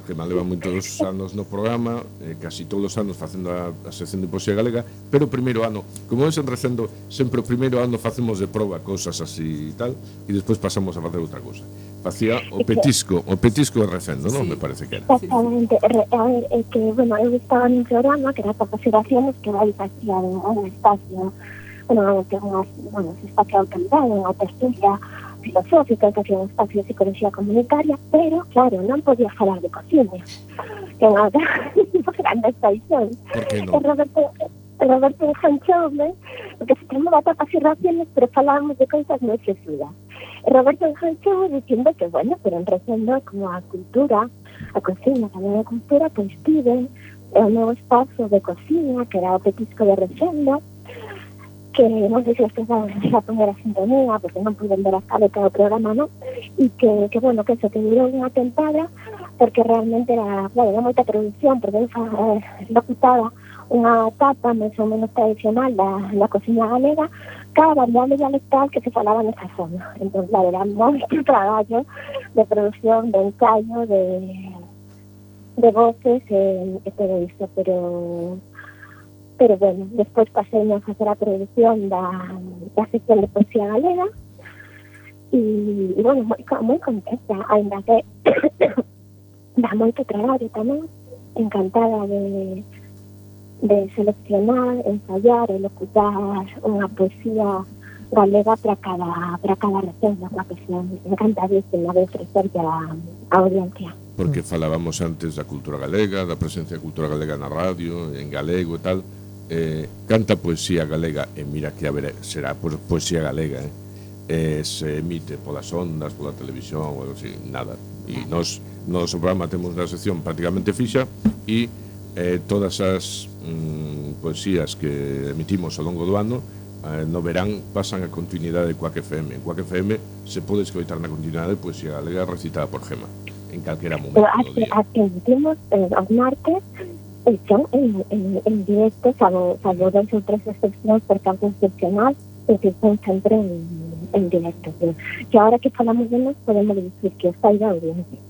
Speaker 7: Gema leva moitos anos no programa, casi todos os anos facendo a sección de poesía galega, pero o primeiro ano, como es en Recendo, sempre o primeiro ano facemos de proba cousas así e tal, e despois pasamos a facer outra cousa. Facía o petisco de Recendo, non? Me parece que era.
Speaker 10: Exactamente. A ver, que, bueno, eu estaba nun programa que era Tapas y Raciones, que vai facía un espacio normalmente se espacio de autoridade, unha tertulia filosófica, que é un espacio de psicología comunitaria, pero, claro, non podía falar de cocina, que é unha grande paixón.
Speaker 7: Por que non?
Speaker 10: Roberto enganchoume, porque se chamaba tapas e raciones, pero falábamos de cousas moi sesudas. Roberto enganchoume dicindo que, bueno, pero en Resendo, como a cultura, a cocina, tamén a cultura, pois piden o meu espazo de cocina, que era o Petisco de Resendo, que non sei se os que saben a poner a sintonía, porque non puiden ver a caleta do programa, non? E que bueno, que eso, que durou unha tempada, porque realmente era moita producción, porque locutaba unha etapa máis ou menos tradicional da cocina galega, cada variable dialectal que se falaba nesa zona. Entón, claro, era moito traballo de producción, de ensayo, de voces e todo isto, pero bueno, despois pasei a facer a produción da sección de poesía galega e bueno, moi contenta, ainda que dá moito traballo tamén, encantada de seleccionar, ensayar e locutar unha poesía galega para cada recendo, unha poesía encantadísima de ofrecerlle a audiencia.
Speaker 7: Porque falábamos antes da cultura galega, da presencia da cultura galega na radio, en galego e tal. Canta poesía galega, e mira que será poesía galega, se emite polas ondas, pola televisión, ou así, nada. E nos no programa temos unha sección prácticamente fixa e todas as poesías que emitimos ao longo do ano no verán pasan a continuidade de Cuac FM. En Cuac FM se pode escoitar na continuidade poesía galega recitada por Gema en calquera momento do día.
Speaker 10: As que emitimos os martes son en directo, salvo 2 ou 3 excepcións por campo excepcional, que son sempre en directo. Que ahora que falamos de nós podemos dicir que está aí da audiencia.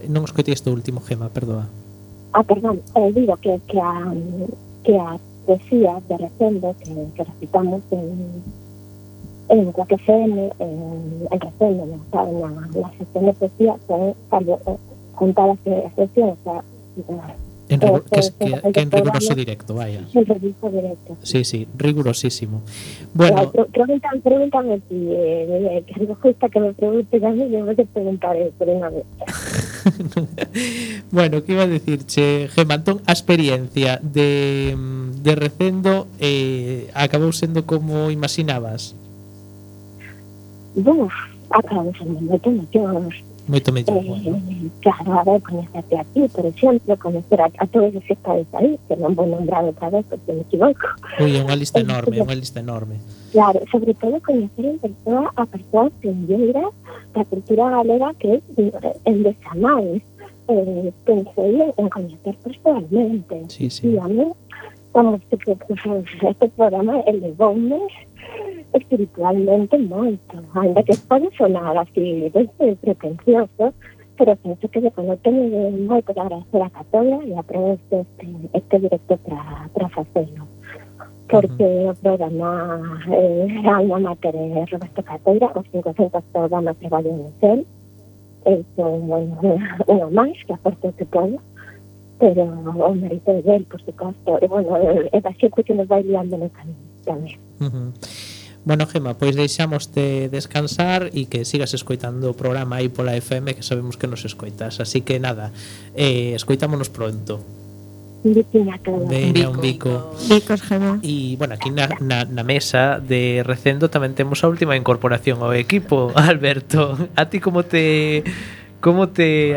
Speaker 5: Non escoitei isto último, Gema, perdoa.
Speaker 10: Perdón, digo que a poesía de Resendo que recitamos en Cuac FM, en Resendo, na sección de poesía, son contadas excepcións,
Speaker 5: que en riguroso directo, vaya.
Speaker 10: En riguroso directo.
Speaker 5: Sí, rigurosísimo. Bueno,
Speaker 10: pregúntame si que algo justa que me preguntes a mí, yo me preguntaré por unha vez.
Speaker 5: Bueno, que iba a decirche, Gema, entón, a experiencia de Resendo acabou sendo como imaginabas?
Speaker 10: Acabou sendo moito mellor, bueno. Claro, a ver, conhecerte a ti, por exemplo, conocer a todos os que estades aí, que non vou nombrar outra vez porque me equivoco.
Speaker 5: Ui, é unha lista enorme.
Speaker 10: Claro, sobre todo conocer en persoa a persoas pioneiras da cultura galega que en desamais. Pensei en conocer personalmente.
Speaker 5: Sí.
Speaker 10: E a mí, este programa elevoume espiritualmente moito, ainda que pode sonar así pretencioso, pero penso que quando teño moito que agradecer a Catoira e a través este directo para facelo, porque o programa alma mater de Roberto Catoira, os 500 programas que valen en cel, son unha máis que aporto que podo, pero o mérito de él, por suposto, e bueno, é da xente que nos vai liando no camino tamén.
Speaker 5: Bueno, Gema, pois deixámoste descansar e que sigas escoitando o programa aí pola FM, que sabemos que nos escoitas. Así que nada, escoitámonos pronto.
Speaker 10: Veña,
Speaker 5: un bico.
Speaker 6: Bicos, Gema.
Speaker 5: E, bueno, aquí na mesa de Resendo tamén temos a última incorporación ao equipo, Alberto. A ti como te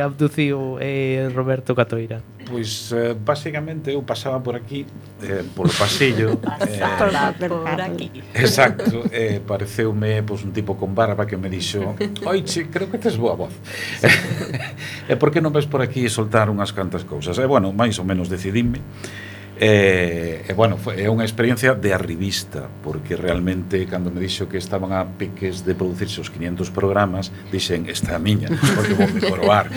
Speaker 5: abduciu Roberto Catoira?
Speaker 3: Pois, basicamente, eu pasaba por aquí, polo pasillo.
Speaker 2: Por aquí.
Speaker 3: Exacto, pareceume un tipo con barba que me dixo: oiche, creo que tes boa voz. E por que non ves por aquí soltar unhas cantas cousas? E, bueno, máis ou menos decidime. Bueno, é unha experiencia de arribista, porque realmente cando me dixo que estaban a piques de producirse os 500 programas, dixen, esta é a miña, porque vou me coroar.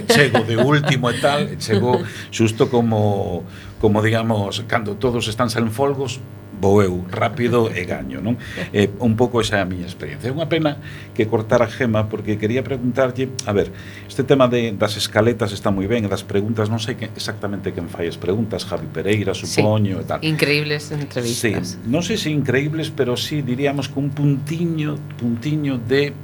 Speaker 3: Chego de último e tal, chego xusto como digamos, cando todos están sen folgos, vou eu rápido e gaño, non? Un pouco esa é a miña experiencia. É unha pena que cortar a Gema, porque quería preguntarlle, a ver, este tema das escaletas está moi ben, e das preguntas, non sei exactamente quen fai as preguntas, Javi Pereira, supoño, e tal.
Speaker 4: Increíbles entrevistas.
Speaker 3: Sí, non sei se increíbles, pero sí, diríamos, con un puntiño de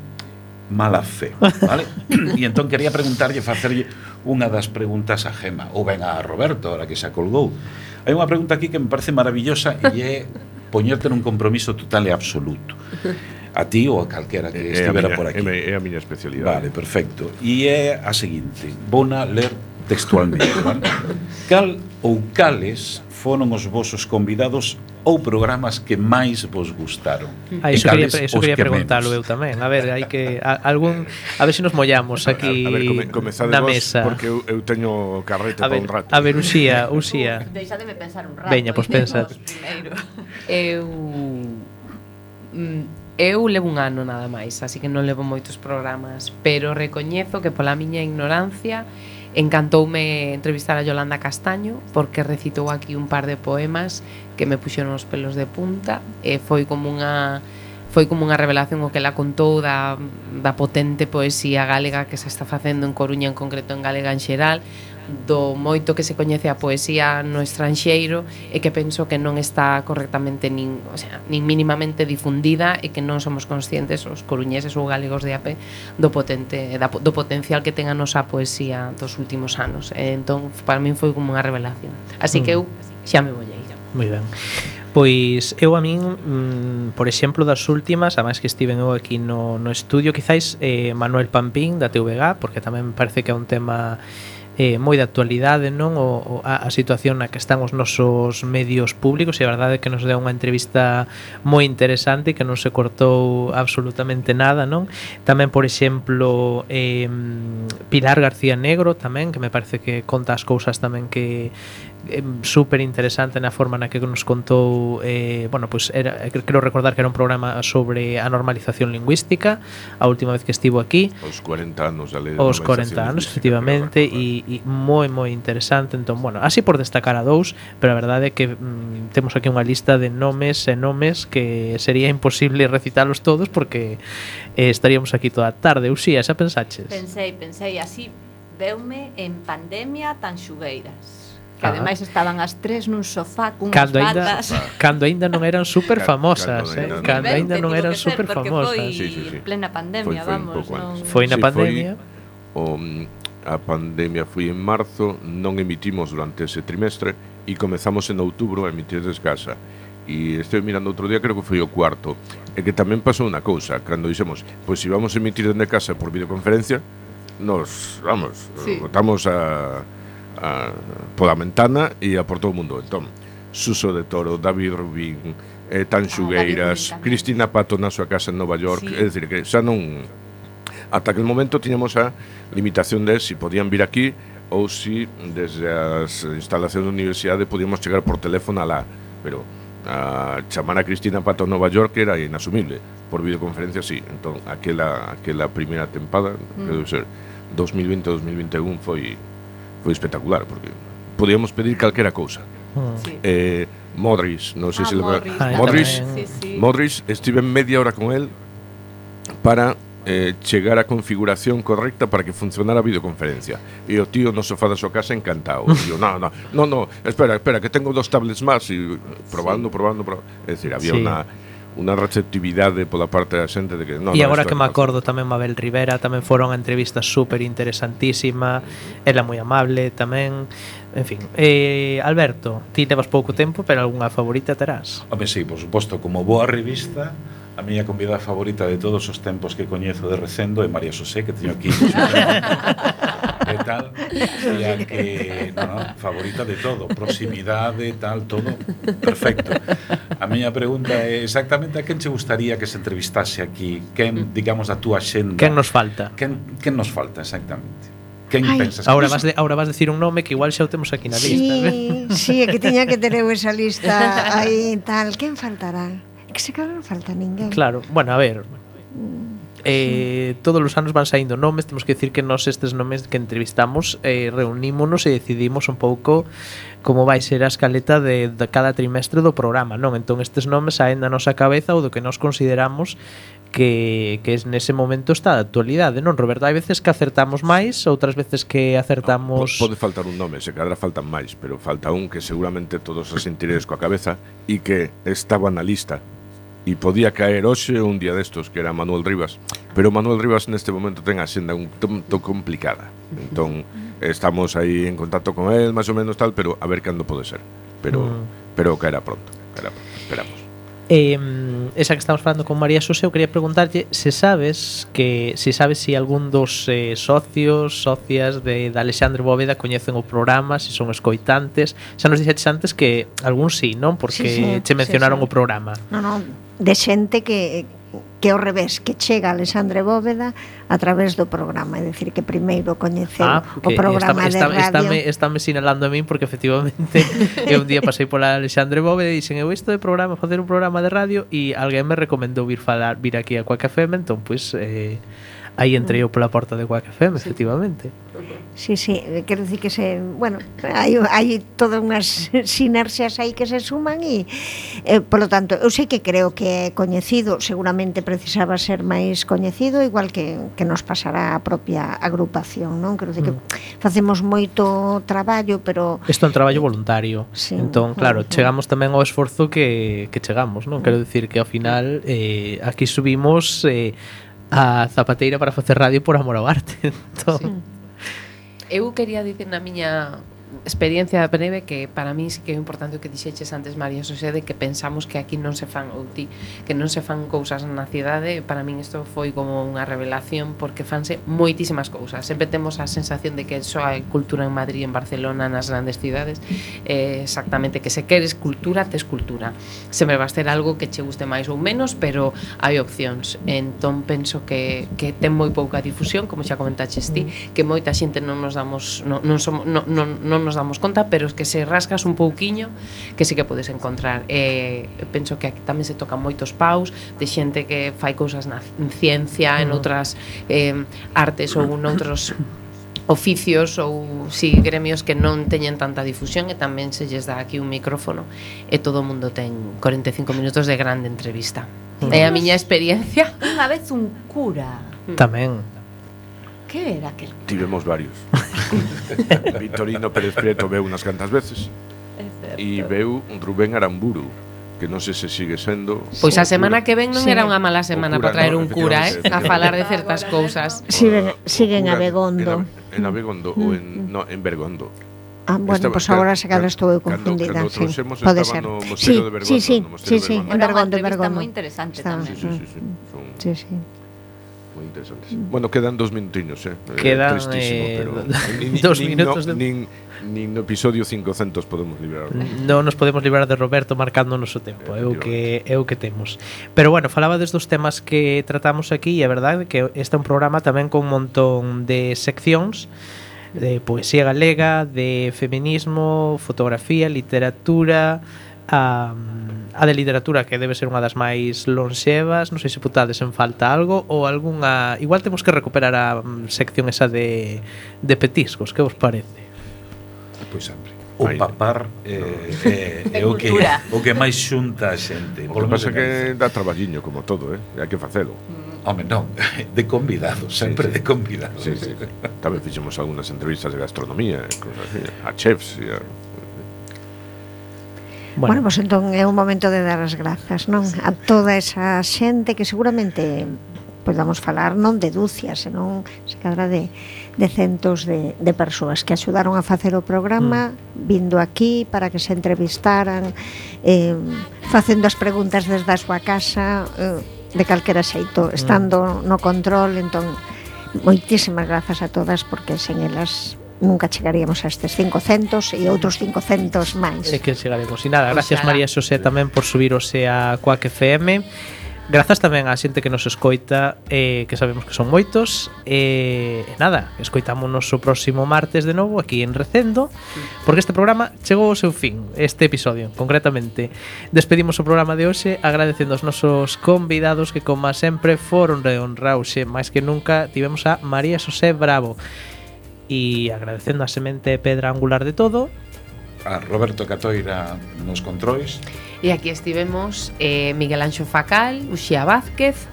Speaker 3: mala fe, vale? E entón quería preguntarlle, facerlle unha das preguntas a Gema, ou ben a Roberto, ahora que se acolgou. Hai unha pregunta aquí que me parece maravillosa e é poñerte nun compromiso total e absoluto. A ti ou a calquera que estivera por aquí.
Speaker 7: É a miña especialidade.
Speaker 3: Vale, perfecto. E é a seguinte, vona ler textualmente, vale? Cal ou cales foron os vosos convidados ou programas que máis vos gustaron?
Speaker 5: Iso quería preguntalo eu tamén. A ver, hai que a ver se nos mollamos aquí
Speaker 7: a ver,
Speaker 5: na mesa.
Speaker 7: Porque eu teño carrete para un rato.
Speaker 5: A ver, Uxía.
Speaker 2: Deixademe pensar un rato.
Speaker 5: Veña, pois pensa.
Speaker 4: Eu levo un ano nada máis, así que non levo moitos programas, pero recoñezo que pola miña ignorancia encantoume entrevistar a Yolanda Castaño, porque recitou aquí un par de poemas que me puxeron os pelos de punta, e foi como unha revelación o que ela contou da potente poesía galega que se está facendo en Coruña, en concreto en galega en xeral, do moito que se coñece a poesía no estranxeiro, e que penso que non está correctamente nin mínimamente difundida, e que non somos conscientes os coruñeses ou galegos de AP do potencial que ten a nosa poesía dos últimos anos. Entón, para min foi como unha revelación. Así que eu xa me vollei.
Speaker 5: Moi ben. Pois eu a min, por exemplo, das últimas, además que estiven eu aquí no estudio, quizáis Manuel Pampín da TVG, porque tamén me parece que é un tema moi de actualidade, non? A situación na que están os nosos medios públicos, e a verdade é que nos deu unha entrevista moi interesante, que non se cortou absolutamente nada, non? Tamén, por exemplo, Pilar García Negro tamén, que me parece que conta as cousas tamén que super interesante na forma na que nos contou, pues creo recordar que era un programa sobre a normalización lingüística, a última vez que estivo aquí,
Speaker 7: os 40 anos da lei de
Speaker 5: os 40 anos, efectivamente, e moi interesante. Entón, así por destacar a dous, pero a verdade é que temos aquí unha lista de nomes que sería imposible recitalos todos, porque estaríamos aquí toda a tarde. Uxía, xa pensaches?
Speaker 2: Pensei, así veume en Pandemia Tanxugueiras, que ademais estaban as tres nun sofá cunhas batas.
Speaker 5: Cando aínda non eran super famosas, cando aínda non eran super famosas.
Speaker 2: Foi plena pandemia, vamos.
Speaker 5: Foi na pandemia.
Speaker 7: A pandemia foi en marzo, non emitimos durante ese trimestre e comezamos en outubro a emitir desde casa. E estou mirando outro día, creo que foi o cuarto. E que tamén pasou unha cousa, cando dixemos, pois se vamos a emitir desde casa por videoconferencia, nos, botamos pola ventana e a por todo o mundo. Entón, Suso de Toro, David Rubín, Tanxugueiras, Cristina Pato na súa casa en Nova York, é dicir, que xa non... Ata aquel momento tiñamos a limitación de si podían vir aquí ou si desde as instalacións da universidade podíamos chegar por teléfono alá, pero a chamar a Cristina Pato a Nova York era inasumible, por videoconferencia sí. Entón, aquela primeira tempada, debe ser 2020-2021, foi espectacular, porque podíamos pedir calquera cousa. Modric, non sei se Modric, estive media hora con el para chegar a configuración correcta para que funcionara a videoconferencia, e o tío no sofá da súa casa encantado. Yo, no, espera, que tengo 2 tablets máis, e probando. É dicir, había unha receptividade pola parte da xente de que
Speaker 5: e agora que me acordo tamén Mabel Rivera tamén foron a entrevista super interesantísima, ela moi amable tamén, en fin. Alberto, ti levas pouco tempo, pero algunha favorita terás?
Speaker 3: Home, sí, por suposto, como boa revista, a miña convidada favorita de todos os tempos que coñezo de Recendo é María Xosé, que teño aquí e tal, e a que favorita de todo, proximidade, tal, todo perfecto. A miña pregunta é exactamente a quen che gustaría que se entrevistase aquí, quen, digamos, da túa xenda,
Speaker 5: quen nos falta,
Speaker 3: quen nos falta exactamente. Quen pensas?
Speaker 5: Ahora vas decir un nome que igual xa o temos aquí na lista.
Speaker 6: Sí, é que tiña que ter eu esa lista aí tal. Quen faltará? É que se claro non falta ninguén.
Speaker 5: Claro, bueno, a ver, todos os anos van saindo nomes, temos que decir que nós estes nomes que entrevistamos reunímonos e decidimos un pouco como vai ser a escaleta de cada trimestre do programa, non? Entón estes nomes saen da nosa cabeza ou do que nós consideramos que nese momento está de actualidade, non, Roberto? Hai veces que acertamos máis, outras veces que acertamos...
Speaker 7: Pode faltar un nome, se cadra faltan máis, pero falta un que seguramente todos os sentiredes coa cabeza e que estaba na lista e podía caer hoxe un día destos, que era Manuel Rivas, pero Manuel Rivas neste momento ten a xenda un tanto complicada, entón estamos aí en contacto con él, máis ou menos tal, pero a ver cando pode ser, pero caerá pronto, esperamos.
Speaker 5: Esa que estamos falando con María Xosé, eu quería preguntarlle se sabes si algún dos socias de Alexandre Bóveda coñecen o programa, se son escoitantes. Xa nos dixetes antes que algún sí, non? Porque che mencionaron o programa.
Speaker 6: Non, de xente que ao revés, que chega Alexandre Bóveda a través do programa, é dicir, que primeiro coñeceu o programa de radio.
Speaker 5: Estáme sinalando a min porque efectivamente eu un día pasei pola Alexandre Bóveda e dixen, eu isto de programa, facer un programa de radio, e alguén me recomendou vir aquí a Quack FM, entón pois aí entrei eu pola porta de Quack FM, efectivamente.
Speaker 6: Sí, quero dicir que hai todas unhas sinerxias aí que se suman e, polo tanto, eu sei que creo que é coñecido, seguramente precisaba ser máis coñecido, igual que nos pasará a propia agrupación, non? Quero dicir que facemos moito traballo, pero...
Speaker 5: Isto é un traballo voluntario,
Speaker 6: sí.
Speaker 5: Entón, claro, chegamos tamén ao esforzo que chegamos, non? Quero dicir que ao final aquí subimos a zapateira para facer radio por amor ao arte, entón...
Speaker 4: Sí. Eu quería dicir na miña experiencia breve que para mí sí que é importante o que dixeches antes, María Xosé, de que pensamos que aquí non se fan que non se fan cousas na cidade. Para min isto foi como unha revelación, porque fanse moitísimas cousas. Sempre temos a sensación de que só hai cultura en Madrid, en Barcelona, nas grandes cidades. Exactamente, que se queres cultura, tes cultura. Sempre vas ter algo que che guste máis ou menos, pero hai opcións. Entón penso que ten moi pouca difusión, como xa comentaches ti, que moita xente non nos damos non nos damos conta, pero es que se rascas un pouquiño que sí que podes encontrar. Penso que aquí tamén se tocan moitos paus de xente que fai cousas na ciencia, en outras artes ou noutros oficios ou gremios que non teñen tanta difusión, e tamén se lles dá aquí un micrófono e todo o mundo ten 45 minutos de grande entrevista. É a miña experiencia.
Speaker 2: Unha vez un cura
Speaker 5: tamén.
Speaker 2: Que era aquel?
Speaker 7: Tivemos varios. Victorino Pérez Prieto veu unas cantas veces e veu Rubén Aramburu, que non sei se sigue sendo.
Speaker 4: Pois a semana que ven non era unha mala semana para traer un cura, a falar de certas cousas.
Speaker 6: Siguen a Begondo.
Speaker 7: En Abegondo ou en Bergondo.
Speaker 6: Bueno, pois agora se cada estou confundida. Pode ser. Sí, en Bergondo.
Speaker 2: Está moi interesante tamén.
Speaker 6: Sí.
Speaker 7: Moi interesantes. Bueno, quedan 2 minutiños,
Speaker 5: Quedan
Speaker 7: tristísimo, pero
Speaker 5: 2 minutos
Speaker 7: nin no episodio 500 podemos librar.
Speaker 5: Non nos podemos librar de Roberto marcando o noso tempo, é o que temos. Pero bueno, falaba desde os temas que tratamos aquí, e é verdade que este é un programa tamén con un montón de seccións, de poesía galega, de feminismo, fotografía, literatura, a de literatura, que debe ser unha das máis lonxevas. Non sei se putades en falta algo ou algunha... Igual temos que recuperar a sección esa de petiscos, que vos parece?
Speaker 3: Pois sempre. O papar é o que máis xunta a xente.
Speaker 7: O que pasa que dá traballiño como todo, hai que facelo.
Speaker 3: Home, non, de convidados, sempre de convidados.
Speaker 7: Sí. Tamén fixemos algunhas entrevistas de gastronomía, cosas así, a chefs e a...
Speaker 6: Bueno, pois entón é un momento de dar as grazas, non? A toda esa xente que seguramente podamos falar non de dúcias, senón se cadra de centos de persoas que axudaron a facer o programa, vindo aquí para que se entrevistaran, facendo as preguntas desde a súa casa, de calquera xeito, estando no control. Entón, moitísimas grazas a todas, porque sen elas nunca chegaríamos a estes 500 e outros 500 máis.
Speaker 5: É que chegaremos. E nada, gracias María Xosé tamén por subirose a Quack FM. Grazas tamén á xente que nos escoita, que sabemos que son moitos. Nada, escoitámonos o próximo martes de novo aquí en Recendo, porque este programa chegou ao seu fin, este episodio, concretamente. Despedimos o programa de hoxe agradecendo aos nosos convidados que, como sempre, foron de honrause. máis que nunca tivemos a María Xosé Bravo, e agradecendo a semente pedra angular de todo,
Speaker 3: a Roberto Catoira nos controis.
Speaker 4: E aquí estivemos Miguel Anxo Facal, Uxía Vázquez,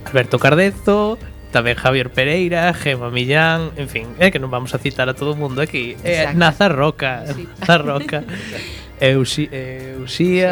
Speaker 5: Alberto Cardezo, tamén Javier Pereira, Gema Millán, en fin, que non vamos a citar a todo o mundo aquí. Nazar Roca, Uxía